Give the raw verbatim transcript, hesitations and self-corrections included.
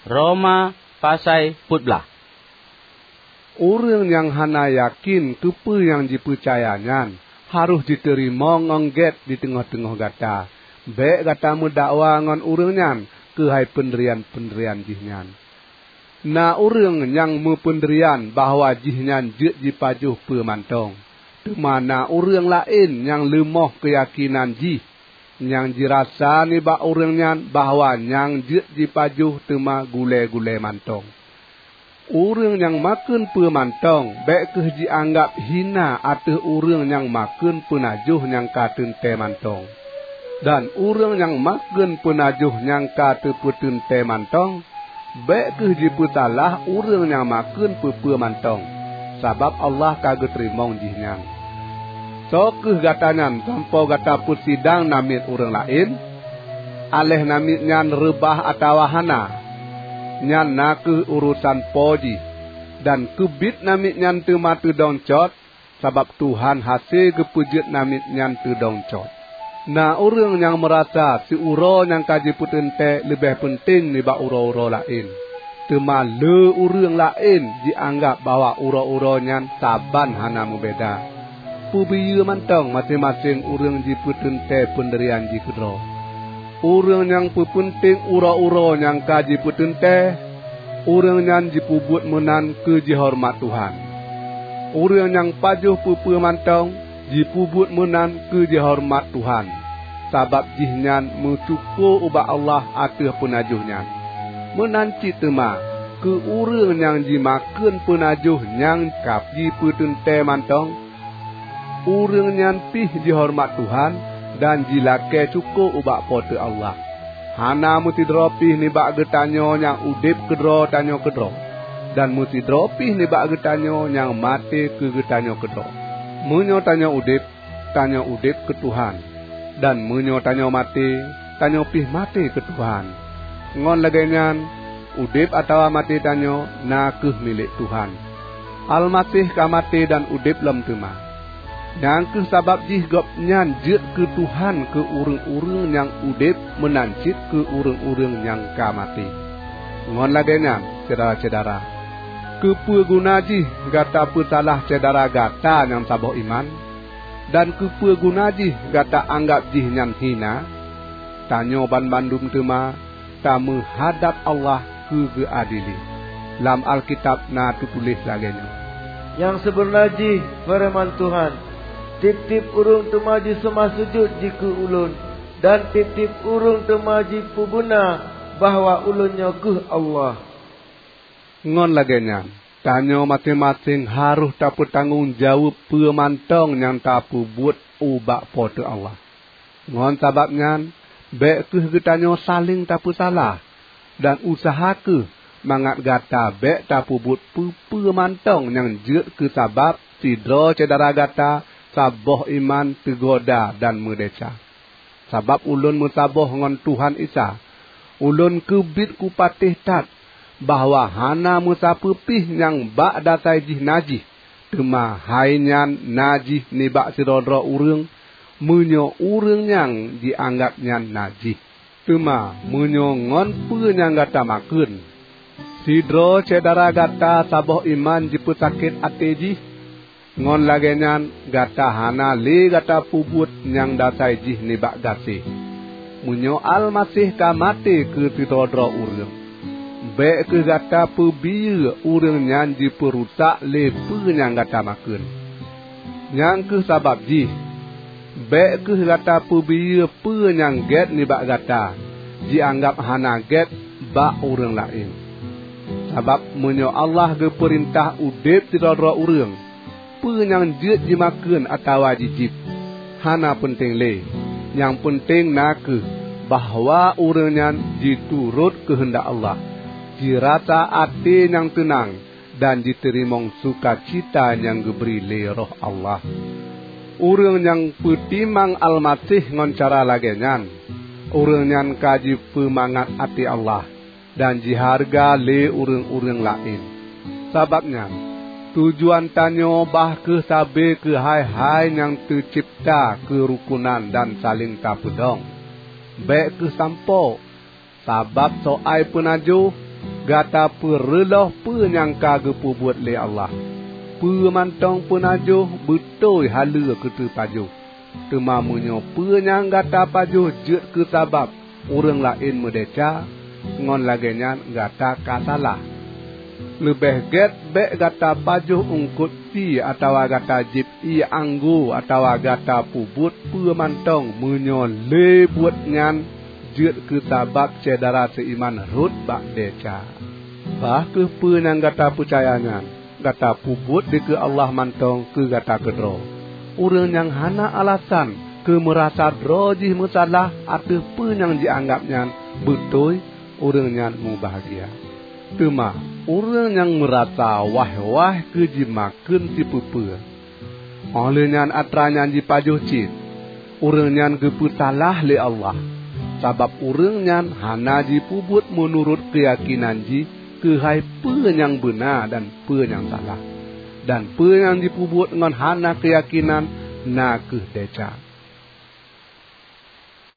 Roma pasai peuet blaih. Ureuëng nyang hana yakén keupeue nyang jipeucaya nyan harôh jiteurimong ngon gét di teungoh-teungoh gata. Bék gata meudakwa ngon ureuëng nyan keuhai peundirian-peundirian jih nyan. Na ureuëng nyang meupeundirian bahwa jihnyan jeuet jipajoh peue mantong, teuma na ureuëng laén nyang leumoh keuyakénan jih, nyang jirasa nibak ureuëng nyan bahwa nyang jeuet jipajoh teuma gulée-gulée mantong. Ureuëng nyang makheun peue mantong bék kheueh jianggab hina ateueh ureuëng nyang makheun peunajoh nyang ka teuntée mantong. Dan ureuëng nyang makheun peunajoh nyang ka teupeuteuntée mantong, bék kheueh jipeusalah ureuëng nyang makheun peue-peue mantong, sabab Allah ka geuteurimong jihnyan. Soe kheueh gata nyan sampoe gata peusidang namiet ureuëng laén? Aléh namiet nyan reubah atawa hana, nyan na kheueh urosan po jih, dan keubiet namiet nyan teuma teudong cot, sabab Tuhan hase geupeujeuet namiet nyan teudong cot. Na ureuëng nyang meurasa siuroe nyang ka jipeuteuntée leubeh peunteng nibak uroe-uroe laén, teuma le ureuëng laén jianggab bahwa uroe-uroe nyan saban hana meubeda. Peubiyeu mantong maséng-maséng ureuëng jipeuteuntée peundirian jih keudroe. Ureuëng nyang peupeunteng uroe-uroe nyang ka jipeuteuntée, ureuëng nyan jipeubuet meunan keu jihoreumat Tuhan. Ureuëng nyang pajoh peue-peue mantong jipeubuet meunan keu jihoreumat Tuhan, sabab jihnyan meusyukoe ubak Allah ateueh peunajoh nyan. Meunan cit teuma keu ureuëng nyang jimakheun peunajoh nyang ka jipeuteuntée mantong, ureuëng nyan pih jihoreumat Tuhan dan jilakée syukoe ubak Po teu Allah. Hana meusidroe pih nibak geutanyoe nyang udeb keudroe tanyoe keudroe, dan meusidroe pih nibak geutanyoe nyang maté keu geutanyoe keudroe. Meunyoe tanyoe udeb, tanyoe udeb keu Tuhan, dan meunyoe tanyoe maté, tanyoe pih maté keu Tuhan. Ngon lagée nyan, udeb atawa maté tanyoe na kheueh milék Tuhan. Almaseh ka maté dan udeb lom teuma. Nyang kheueh sabab jih Gobnyan jeuet keu Tuhan keu ureuëng-ureuëng nyang udeb meunan cit keu ureuëng-ureuëng nyang ka maté. Ngon lagée nyan, syedara-syedara, keupeue guna jih gata peusalah syedara gata nyang saboh iman? Dan keupeue guna jih gata anggab jihnyan hina? Tanyoe banmandum teuma tameuhadab Allah keu geuadili. Lam Alkitab na teutuléh lagée nyoe, "Nyang sibeuna jih feureuman Tuhan, 'Tieb-tieb ureuëng teuma jiseumah sujut jikeu Ulôn, dan tieb-tieb ureuëng teuma jipeubuna bahwa Ulôn nyoe kheueh Allah.'" Ngon lagée nyan, tanyoe maséng-maséng harôh tapeutanggong jaweueb peue mantong nyang tapeubuet ubak Po teu Allah. Ngon sabab nyan, bék kheueh geutanyoe saléng tapeusalah, dan useuha kheueh mangat gata bék tapeubuet peue-peue mantong nyang jeuet keu sabab sidroe syedara gata saboh iman teugoda dan meudesya. Sabab ulôn meusaboh ngon Tuhan Isa, ulôn keubiet kupatéh that bahwa hana meusapeue pih nyang bak dasai jih najih, teuma hai nyan najih nibak sidroe-droe ureuëng, meunyoe ureuëng nyang jianggab nyan najih. Teuma meunyoe ngon peue nyang gata makheun, sidroe syedara gata saboh iman jipeusakét até jih, ngon lagée nyan gata hana lé gata peubuet nyang dasai jih nibak gaséh. Meunyoe Almaseh ka maté keu sidroe-droe ureuëng, bék kheueh gata peubiyeu ureuëng nyan jipeurusak lé peue nyang gata makheun. Nyang kheueh sabab jih, bék kheueh gata peubiyeu peue nyang gét nibak gata jianggab hana gét bak ureuëng laén. Sabab meunyoe Allah geupeurintah udeb sidroe-droe ureuëng, peue nyang jeuet jimakheun atawa jijieb, hana peunteng lé. Nyang peunteng na kheueh bahwa ureuëng nyan jiturot keuheundak Allah, jirasa até nyang teunang, dan jiteurimong sukacita nyang geubri lé Roh Allah. Ureuëng nyang peutimang Almaseh ngon cara lagée nyan, ureuëng nyan ka jipeumangat até Allah dan jihareuga lé ureuëng-ureuëng laén. Sabab nyan, tujuan tanyoe bah kheueh sabe keu hai-hai nyang teucebta keurukunan dan saléng tapeudong. Bék kheueh sampoe, sabab soai peunajoh, Gata peureuloh peue nyang ka geupeubuet lé Allah. Peue mantong peunajoh beutôi haleue keu teupajoh. Teuma meunyoe peue nyang gata pajoh jeuet keu sabab ureuëng laén meudesya, ngon lagée nyan gata ka salah. Leubeh gét bék gata pajoh eungkot sie atawa gata jieb ié anggô atawa gata peubuet peue mantong meunyoe lé buet nyan jeuet keu sabab syedara seuiman rhot bak desya. Bah kheueh peue nyang gata peucaya nyan, gata peubuet dikeue Allah mantong keu gata keudroe. Ureuëng nyang hana alasan keu meurasa droe jih meusalah ateueh peue nyang jianggab nyan beutôi, ureuëng nyan mubahgia. Teuma ureuëng nyang meurasa waih-waih keu jimakheun sipeue-peue, óh lheueh nyan atra nyan jipajoh cit, ureuëng nyan geupeusalah lé Allah, sabab ureuëng nyan hana jipeubuet meunurot keuyakénan jih keuhai peue nyang beuna dan peue nyang salah. Dan peue nyang jipeubuet ngon hana keuyakénan na kheueh desya.